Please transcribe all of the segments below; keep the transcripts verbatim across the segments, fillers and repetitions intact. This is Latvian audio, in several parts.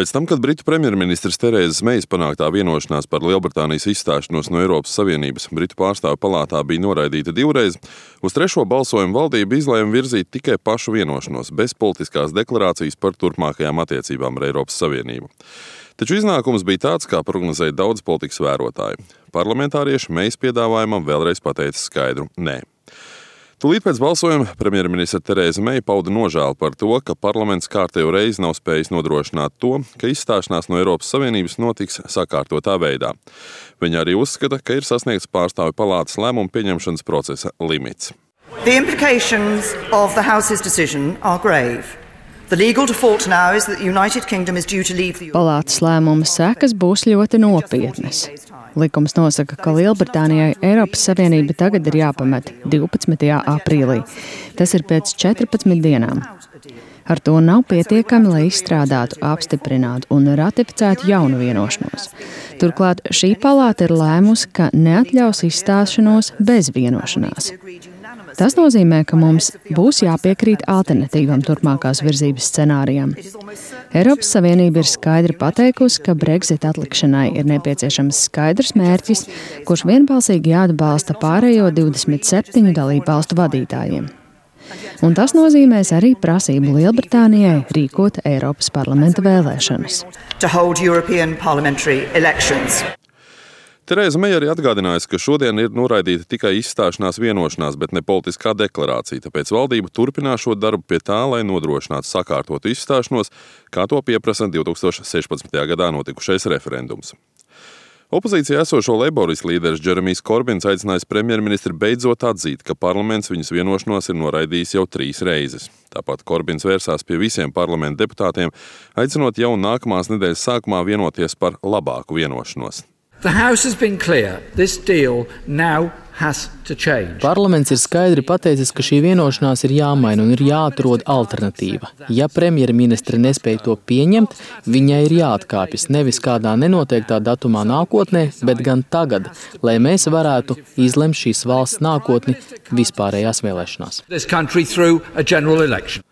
Pēc tam, kad Britu premjerministrs Terēzes Meijas panāktā vienošanās par Lielbritānijas izstāšanos no Eiropas Savienības Britu pārstāvju palātā bija noraidīta divreiz, uz trešo balsojumu valdība izlēma virzīt tikai pašu vienošanos, bez politiskās deklarācijas par turpmākajām attiecībām ar Eiropas Savienību. Taču iznākums bija tāds, kā prognozēja daudz politikas vērotāji. Parlamentārieši Meijas piedāvājumam vēlreiz pateica skaidru nē. Tūlīt pēc balsojuma premjerministre Terēze Meija pauda nožēlu par to, ka parlaments kārtējo reizi nav spējis nodrošināt to, ka izstāšanās no Eiropas Savienības notiks sakārtotā veidā. Viņa arī uzskata, ka ir sasniegts pārstāvju palātas lēmumu pieņemšanas procesa limits. The implications of the House's decision are grave. The legal default now is that the United Kingdom is due to leave the Palātas lēmuma sekas būs ļoti nopietnas. Likums nosaka, ka Lielbritānijai Eiropas Savienība tagad ir jāpamet divpadsmitajā aprīlī. Tas ir pēc četrpadsmit dienām. Ar to nav pietiekami, lai izstrādātu, apstiprinātu un ratificētu jaunu vienošanos. Turklāt šī palāta ir lēmusi, ka neatļaus izstāšanos bez vienošanās. Tas nozīmē, ka mums būs jāpiekrīt alternatīvam turpmākās virzības scenārijam. Eiropas Savienība ir skaidri pateikusi, ka Brexit atlikšanai ir nepieciešams skaidrs mērķis, kurš vienbalsīgi jāatbalsta pārējo divdesmit septiņu dalībvalstu vadītājiem. Un tas nozīmēs arī prasību Lielbritānijai rīkot Eiropas parlamenta vēlēšanas. Terēze Meija arī atgādinājusi, ka šodien ir noraidīta tikai izstāšanās vienošanās, bet ne politiskā deklarācija, tāpēc valdība turpinās šo darbu pie tā, lai nodrošinātu sakārtotu izstāšanos, kā to pieprasa divtūkstoš sešpadsmitajā gadā notikušais referendums. Opozīcijā esošo Leiboristu līderis Džeremijs Korbins aicinājis premjerministri beidzot atzīt, ka parlaments viņas vienošanos ir noraidījis jau trīs reizes. Tāpat Korbins vērsās pie visiem parlamenta deputātiem, aicinot jau nākamās nedēļas sākumā vienoties par labāku vienošanos. The House has been clear. This deal now has to change. Parlaments ir skaidri pateicis, ka šī vienošanās ir jāmaina un ir jāatrod alternatīva. Ja premjerministre nespēja to pieņemt, viņai ir jāatkāpjas nevis kādā nenoteiktā datumā nākotnē, bet gan tagad, lai mēs varētu izlemt šīs valsts nākotni vispārējās vēlēšanās. This country through a general election.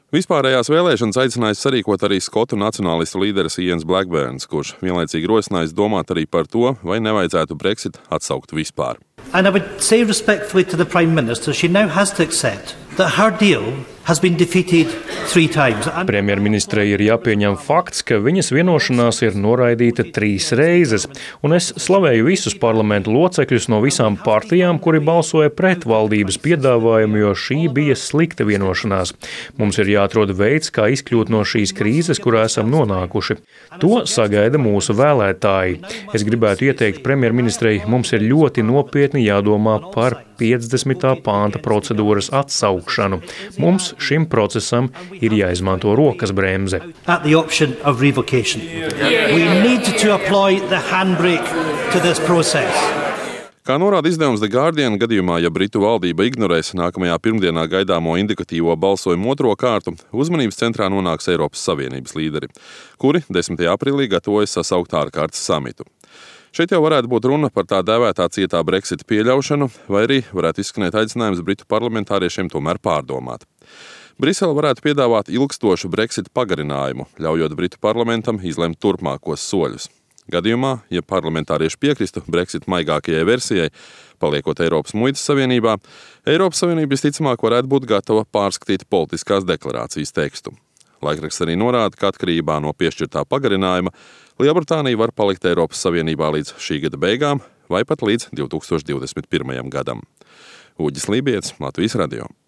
Vispārējās vēlēšanas aicinājis sarīkot arī skotu nacionālistu līderis Ians Blackburns, kurš vienlaicīgi rosinājis domāt arī par to, vai nevajadzētu Brexit atsaukt vispār. And I would say respectfully to the Prime Minister, she now has to accept that her deal has been defeated three times. Premjerministrei ir jāpieņem fakts, ka viņas vienošanās ir noraidīta trīs reizes, un es slavēju visus parlamentu locekļus no visām partijām, kuri balsoja pret valdības piedāvājumu, jo šī bija slikta vienošanās. Mums ir jāatrod veids, kā izkļūt no šīs krīzes, kurā esam nonākuši. To sagaida mūsu vēlētāji. Es gribētu ieteikt premjerministrei, mums ir ļoti nopietni jādomā par piecdesmitā pānta procedūras atsaukšanu. Mums šim procesam ir jāizmanto rokas bremze. Kā norāda izdevums The Guardian, gadījumā, ja Britu valdība ignorēs nākamajā pirmdienā gaidāmo indikatīvo balsojumu otro kārtu, uzmanības centrā nonāks Eiropas Savienības līderi, kuri desmitajā aprīlī gatavojas sasaukt ārkārtas samitu. Šeit jau varētu būt runa par tā dēvētā cietā Brexit pieļaušanu, vai arī varētu izskanēt aicinājums Britu parlamentāriešiem tomēr pārdomāt. Brisele varētu piedāvāt ilgstošu Brexit pagarinājumu, ļaujot Britu parlamentam izlemt turpmākos soļus. Gadījumā, ja parlamentārieši piekristu Brexit maigākajai versijai, paliekot Eiropas muitas savienībā, Eiropas Savienība visticamāk varētu būt gatava pārskatīt politiskās deklarācijas tekstu. Laikraksts arī norāda, ka atkarībā no piešķirtā pagarinājuma Lielbritānija var palikt Eiropas Savienībā līdz šī gada beigām vai pat līdz divtūkstoš divdesmit pirmajam gadam. Uģis Lībijets, Latvijas radio.